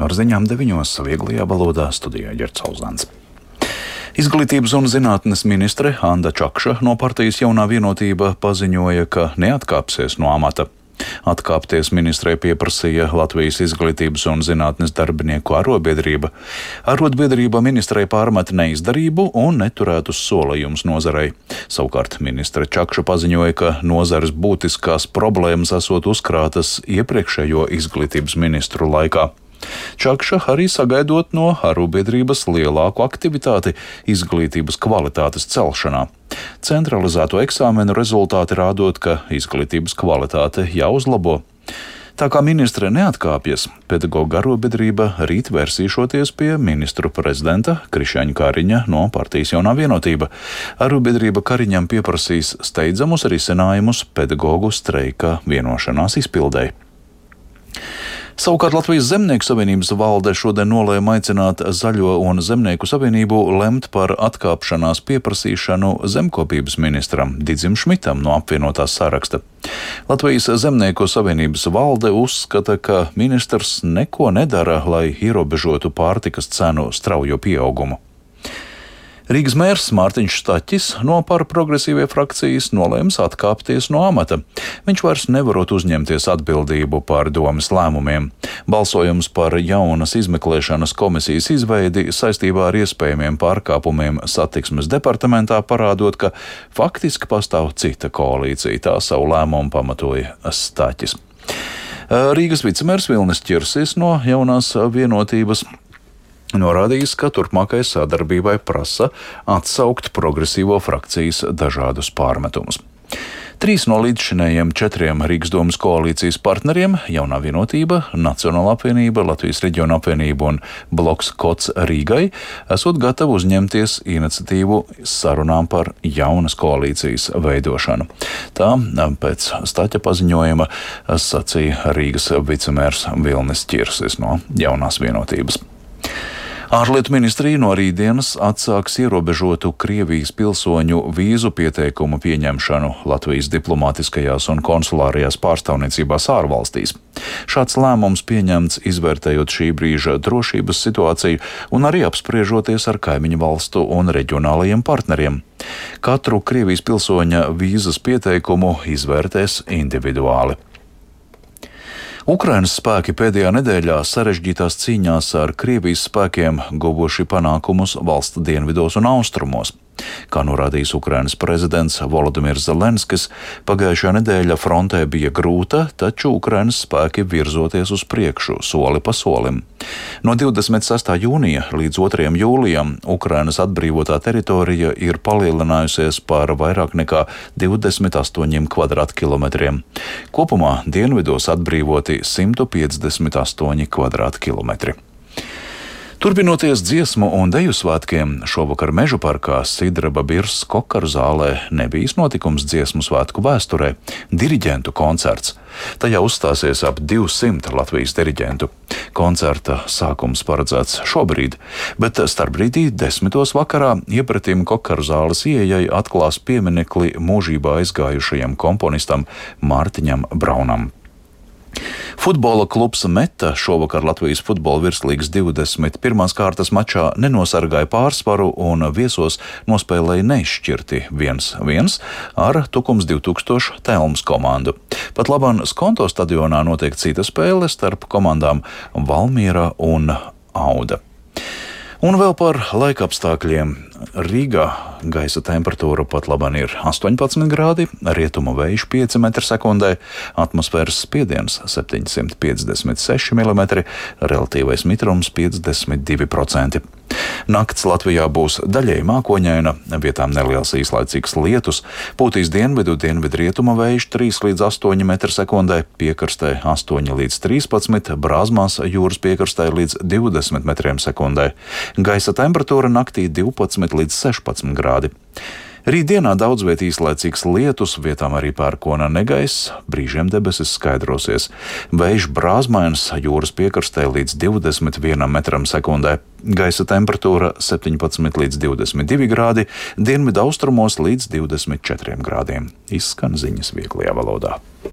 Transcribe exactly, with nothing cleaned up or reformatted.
Ar ziņām deviņos vieglajā valodā studijā Ģerts Auzāns. Izglītības un zinātnes ministre Anda Čakša no partijas Jaunā vienotība paziņoja, ka neatkāpsies no amata. Atkāpties ministrei pieprasīja Latvijas izglītības un zinātnes darbinieku arodbiedrība. Arodbiedrība ministrei pārmet neizdarību un neturētus solījumus nozarei. Savukārt ministre Čakša paziņoja, ka nozares būtiskās problēmas esot uzkrātas iepriekšējo izglītības ministru laikā. Čakša arī sagaidot no arodbiedrības lielāku aktivitāti izglītības kvalitātes celšanā. Centralizēto eksāmenu rezultāti rādot, ka izglītības kvalitāte jāuzlabo. Tā kā ministre neatkāpjas, pedagoģa arodbiedrība rīt vērsīšoties pie ministru prezidenta Krišjaņa Kariņa no partijas Jaunā vienotība. Arodbiedrība Kariņam pieprasīs steidzamus risinājumus pedagoģu streika vienošanās izpildei. Savukārt Latvijas Zemnieku savienības valde šodien nolēma aicināt Zaļo un Zemnieku savienību lemt par atkāpšanās pieprasīšanu zemkopības ministram Didzim Šmitam no apvienotās saraksta. Latvijas Zemnieku savienības valde uzskata, ka ministrs neko nedara, lai ierobežotu pārtikas cenu straujo pieaugumu. Rīgas mērs Mārtiņš Staķis no Par progresīvie frakcijas nolēms atkāpties no amata. Viņš vairs nevarot uzņemties atbildību par domes lēmumiem. Balsojums par jaunas izmeklēšanas komisijas izveidi saistībā ar iespējamiem pārkāpumiem satiksmes departamentā parādot, ka faktiski pastāv cita koalīcija. Tā savu lēmumu pamatoja Staķis. Rīgas vicemērs Vilnis Ķirsis no Jaunās vienotības norādījis, ka turpmākai sadarbībai prasa atsaukt progresīvo frakcijas dažādus pārmetumus. Trīs no līdzšinējiem četriem Rīgas domas koalīcijas partneriem - Jaunā vienotība, Nacionāla apvienība, Latvijas reģiona apvienība un bloks Kots Rīgai - esot gatavi uzņemties iniciatīvu sarunām par jaunas koalīcijas veidošanu. Tā pēc Staķa paziņojuma sacīja Rīgas vicemērs Vilnis Ķirsis no Jaunās vienotības. Ārlietu ministrija no rītdienas atsāks ierobežotu Krievijas pilsoņu vīzu pieteikumu pieņemšanu Latvijas diplomātiskajās un konsulārajās pārstāvniecībās ārvalstīs. Šāds lēmums pieņemts izvērtējot šī brīža drošības situāciju un arī apspriežoties ar kaimiņu valstu un reģionālajiem partneriem. Katru Krievijas pilsoņa vīzas pieteikumu izvērtēs individuāli. Ukrainas spēki pēdējā nedēļā sarežģītās cīņās ar Krievijas spēkiem guvuši panākumus valsts dienvidos un austrumos. Kā norādījis Ukrainas prezidents Volodimirs Zelenskis, pagājušā nedēļa frontē bija grūta, taču Ukrainas spēki virzoties uz priekšu soli pa solim. No divdesmit sestā jūnija līdz otrajam jūlijam Ukrainas atbrīvotā teritorija ir palielinājusies par vairāk nekā divdesmit astoņiem kvadrātkilometriem. Kopumā dienvidos atbrīvoti simt piecdesmit astoņi kvadrātkilometri. Turpinoties dziesmu un deju svētkiem, šovakar Mežu parkā Sidraba Birs Kokaru zālē nebijis notikums dziesmu svētku vēsturē - diriģentu koncerts. Tajā uzstāsies ap divsimt Latvijas diriģentu. Koncerta sākums paredzēts šobrīd, bet starpbrīdī desmitos vakarā iepratim Kokaru zāles ieejai atklās pieminekli mūžībā aizgājušajam komponistam Mārtiņam Braunam. Futbola klubs Meta šovakar Latvijas futbola virslīgas divdesmit pirmās kārtas mačā nenosargāja pārsvaru un viesos nospēlēja neizšķirti viens viens ar Tukums divi tūkstoši Telmas komandu. Pat labāk Skonto stadionā notiek cita spēle starp komandām Valmiera un Auda. Un vēl par laikapstākļiem. Rīgā gaisa temperatūra pat labāk ir astoņpadsmit grādi, rietumu vējš pieci metri sekundē, atmosfēras spiediens septiņsimt piecdesmit seši milimetri, relatīvais mitrums piecdesmit divi procenti. Nakts Latvijā būs daļēji mākoņaina, vietām neliels īslaicīgs lietus, pūtīs dienvidu, dienvidu rietumu vējš trīs līdz astoņi metri sekundē, piekrastē astoņi līdz trīspadsmit, Brāzmās jūras piekrastē līdz divdesmit metriem sekundē. Gaisa temperatūra naktī divpadsmit līdz sešpadsmit grādi. Rītdienā daudz viet īslaicīgs lietus, vietām arī pērkona negaiss, brīžiem debesis skaidrosies. Vējš brāzmains jūras piekrastē līdz divdesmit vienam metram sekundē. Gaisa temperatūra septiņpadsmit līdz divdesmit divi grādi, dienvidu austrumos līdz divdesmit četriem grādiem. Izskan ziņas vieglajā valodā.